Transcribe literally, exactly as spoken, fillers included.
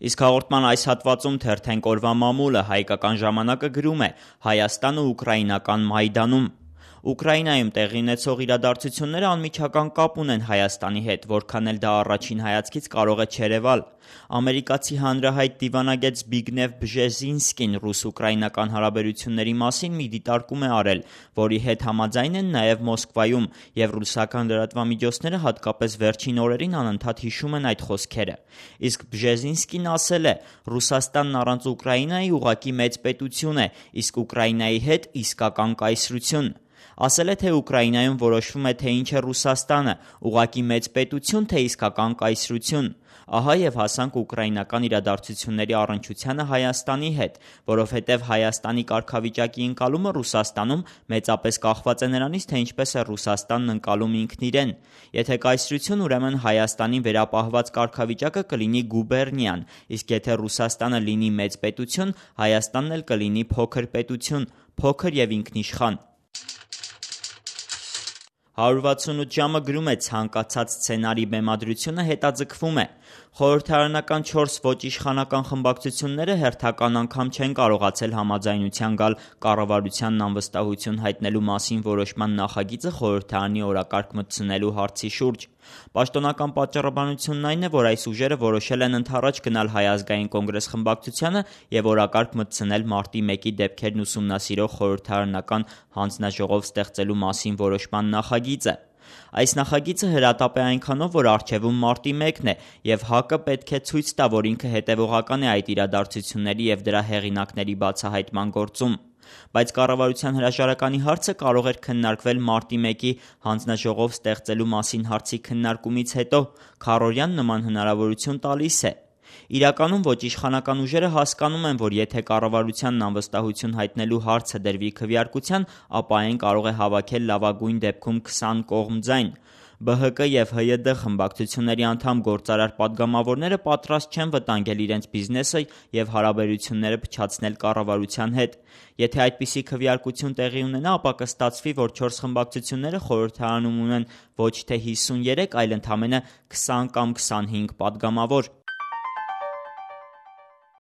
Իսկ հաղորդման այս հատվածում թերթենք օրվա մամուլը, հայկական ժամանակը գրում է Հայաստանը ուկրաինական Մայդանում։ Ուկրաինայում տեղի ունեցող իրադարձությունները անմիջական կապ ունեն Հայաստանի հետ, որքան էլ դա առաջին հայացքից կարող է չերևալ։ Ամերիկացի հանրահայտ դիվանագետ Զբիգնև Բժեզինսկին ռուս-ուկրաինական հարաբերությունների մասին մի դիտարկում է արել, որի հետ համաձայն են նաև Մոսկվայում, և ռուսական լրատվամիջոցները հատկապես վերջին օրերին անընդհատ հիշում են այդ խոսքերը։ Իսկ Բժեզինսկին ասել է. «Ռուսաստանն առանց Ուկրաինայի ուղղակի մեծ պետություն է, իսկ Ուկրաինայի հետ իսկական կայսրություն»։ Ասել է, թե Ուկրաինայում որոշվում է, թե ինչ է Ռուսաստանը՝ ուղղակի մեծ պետություն, թե իսկական կայսրություն։ Ահա և հասանք ուկրաինական իրադարձությունների առնչությանը Հայաստանի հետ, որովհետև Հայաստանի կարգավիճակի ընկալումը Ռուսաստանում մեծապես կախված է նրանից, թե ինչպես է Ռուսաստանն ընկալում ինքն իրեն։ Եթե կայսրություն, ուրեմն Հայաստանին վերապահված կարգավիճակը կլինի գուբերնիան, իսկ եթե Ռուսաստանը լինի մեծ պետություն, Հայաստանն էլ կլինի փոքր պետություն, փոքր և ինքնիշխան։ հարյուր վաթսունութ ժամը գրում է ցանկացած սցենարի բեմադրությունը հետաձգվում է։ Խորհրդարանական չորս ոչ իշխանական խմբակցությունները հերթական անգամ չեն կարողացել համաձայնության գալ կառավարությանն անվստահություն հայտնելու մասին որոշման նախագիծը խորհրդարանի օրակարգ մտցնելու հարցի շուրջ։ Պաշտոնական պատճառաբանությունն այն է, որ այս ուժերը որոշել են ընդառաջ գնալ Հայ ազգային կոնգրես խմբակցությանը և օրակարգ մտցնել մարտի մեկի դեպքերն ուսումնասիրող խորհրդարանական հանձնաժողով ստեղծելու մասին որոշման նախագիծը։ Այս նախագիծը հրատապ է այնքանով, որ առջևում մարտի մեկն է, և ՀԱԿ-ը պետք է ցույց տա, որ ինքը հետևողական է այդ իրադարձությունների և դրա հեղինակների բացահայտման գործում։ Բայց կառավարության հրաժարականի հարցը կարող էր քննարկվել մարտի մեկի հանձնաժողով ստեղծելու մասին հարցի քննարկումից հետո։ Քառօրյան նման հնարավորություն տալիս է։ Իրականում ոչ իշխանական ուժերը հասկանում են, որ եթե կառավարությանն անվստահություն հայտնելու հարցը դրվի քվեարկության, ապա այն կարող է հավաքել լավագույն դեպքում քսան կողմ ձայն։ Բ Հ Կ և Հ Յ D խմբակցությունների անդամ գործարար պատգամավորները պատրաստ չեն վտանգել իրենց բիզնեսը և հարաբերությունները փչացնել կառավարության հետ։ Եթե այդպիսի քվեարկություն տեղի ունենա, ապա կստացվի, որ չորս խմբակցությունները խորհրդարանում ունեն ոչ թե հիսունյերեք, այլ ընդամենը քսան կամ քսանհինգ պատգամավոր։